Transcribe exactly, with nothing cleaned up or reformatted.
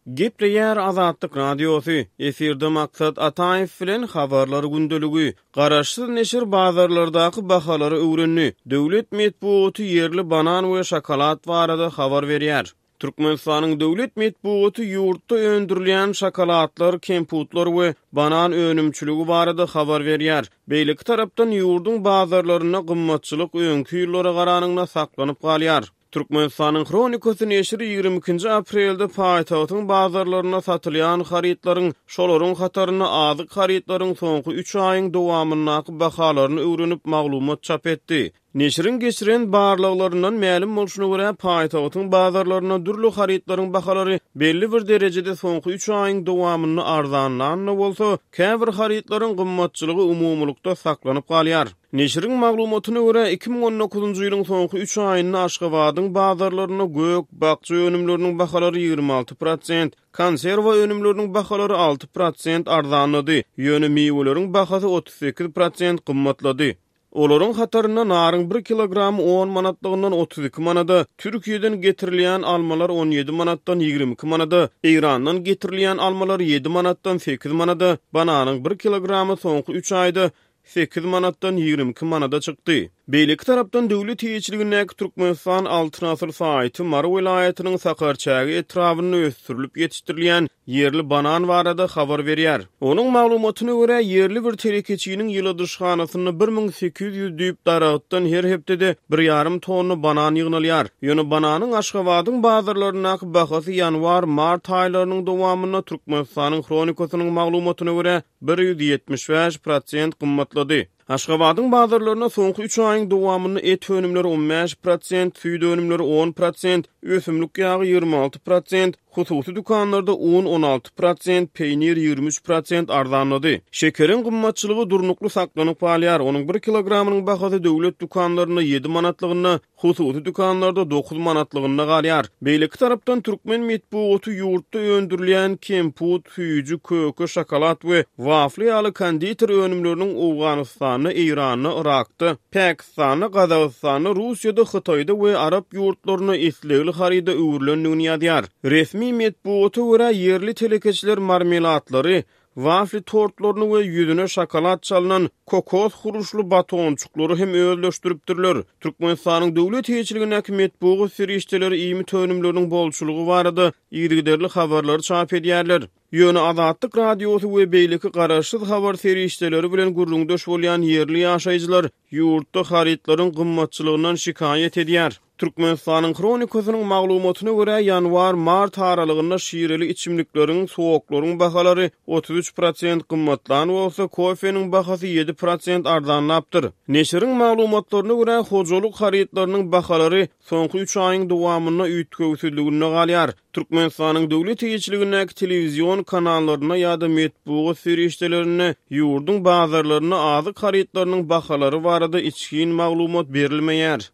Gepleýär Azatlyk Radiosy, efirde Maksat Ataýew bilen Habarlar gündeligi. Garaşsyz neşir bazarlardaky bahalary öwrendi. Döwlet metbugaty ýerli banan we şokolad barada habar berýär. Türkmenistanyň döwlet metbugaty ýurtda öndürilýän şokoladlar, kemputlar we banan önümçiligi barada habar berýär. Beýleki tarapdan ýurduň bazarlarynda gymmatçylyk öňki ýyllara garanyňda saklanyp galýar. Türkmenistanyň Hronikasy neşiri ýigrimi ikinji aprelde paýtagtyň bazarlarynda satylýan harytlaryň, şolaryň hatarynda azyk harytlaryň soňky üç aýyň dowamyndaky bahalaryny öwrenip maglumat çap etdi. Neşiriň geçiren barlaglaryndan mälim bolşuna görä, paýtagtyň bazarlarynda dürli harytlaryň bahalary belli bir derejede soňky üç aýyň dowamynda arzanlan-da bolsa, käbir harytlaryň gymmatçylygy umumylykda saklanyp galýar. Neşiriň maglumatyna görä, iki müň on dokuzynjy ýylyň soňky üç aýynda Aşgabadyň bazarlarynda gök, bakja önümleriniň bahalary ýigrimi alty prosent, konserwa önümleriniň bahalary alty prosent arzanlady, ýöne miweleriň bahasy otuz sekiz prosent gymmatlady. Olaryň hatarynda naryň bir kilogramy on manatlygyndan otuz iki manada, Türkiýeden getirilýän almalar on ýedi manatdan ýigrimi iki manada, Eýrandan getirilýän almalar ýedi manatdan sekiz manada, bananyň bir kilogramy soňky üç aýda sekiz manatdan ýigrimi iki manada çykdy. Beýleki tarapdan döwlet eýeçiligindäki Türkmenistan Altyn asyr saýty Mary welaýatynyň Sakarçäge etrabynda ösdürilip ýetişdirilýän ýerli banan barada habar berýär. Onuň maglumatyna görä, ýerli bir telekeçiniň ýyladyşhanasynda bir müň sekiz ýüz düýp daragtdan her hepdede bir ýarym tonna banan ýygnalýar. Ýöne bananyň Aşgabadyň bazarlaryndaky bahasy ýanwar-mart aýlarynyň dowamynda Türkmenistanyň Hronikasynyň maglumatyna görä bir ýüz ýetmiş bäş prosent gymmatlady. Aşgabadyň bazarlarynda soňky üç aýyň dowamynda et önümleri on bäş prosent, süýt önümleri on prosent, ösümlik ýagy ýigrimi alty prosent, hususy dükanlarda un on alty prosent, peýnir ýigrimi üç prosent arzanlady. Şekeriň gymmatçylygy durnukly saklanyp galýar. Onuň bir kilogramynyň bahasy döwlet dükanlarynda ýedi manatlygynda, hususy dükanlarda dokuz manatlygynda galýar. Beýleki tarapdan türkmen metbugaty ýurtda öndürilýän kemput, süýji, köke, şokolad we wafli ýaly konditer önümleriniň Owganystanda, Eýranda, Yrakda, Pakistanda, Gazagystanda, Russiýada, Hytaýda we Arap ýurtlarynda islegli haryda öwrülendigini ýazýar. Resmi metbugata görä ýerli telekeçiler marmelatlary, wafli tortlaryny we ýüzüne şokolad çalynan kokos huruşly batonçuklary hem özleşdiripdirler. Türkmenistanyň döwlet eýeçiligindäki metbugat serişdeleri iýmit önümleriniň bolçulygy barada yzygiderli habarlary çap edýärler. Ýöne Azatlyk Radiosy we beýleki garaşsyz habar serişdeleri bilen gürrüňdeş bolýan ýerli ýaşaýjylar ýurtda harytlaryň gymmatçylygyndan şikaýat edýär. Türkmenistanyň Hronikasynyň maglumatyna görä, ýanwar-mart aralygynda şireli içimlikleriň, soklaryň bahalary otuz üç prosent gymmatlan bolsa, kofeniň bahasy ýedi prosent arzanlapdyr. Neşiriň maglumatlaryna görä, hojalyk harytlarynyň bahalary soňky üç aýyň dowamynda üýtgewsizliginde galýar. Türkmenistanyň döwlet eýeçiligindäki telewizion kanallarynda ýa-da metbugat serişdelerinde ýurduň bazarlarynda azyk harytlarynyň bahalary barada içgin maglumat berilmeýär.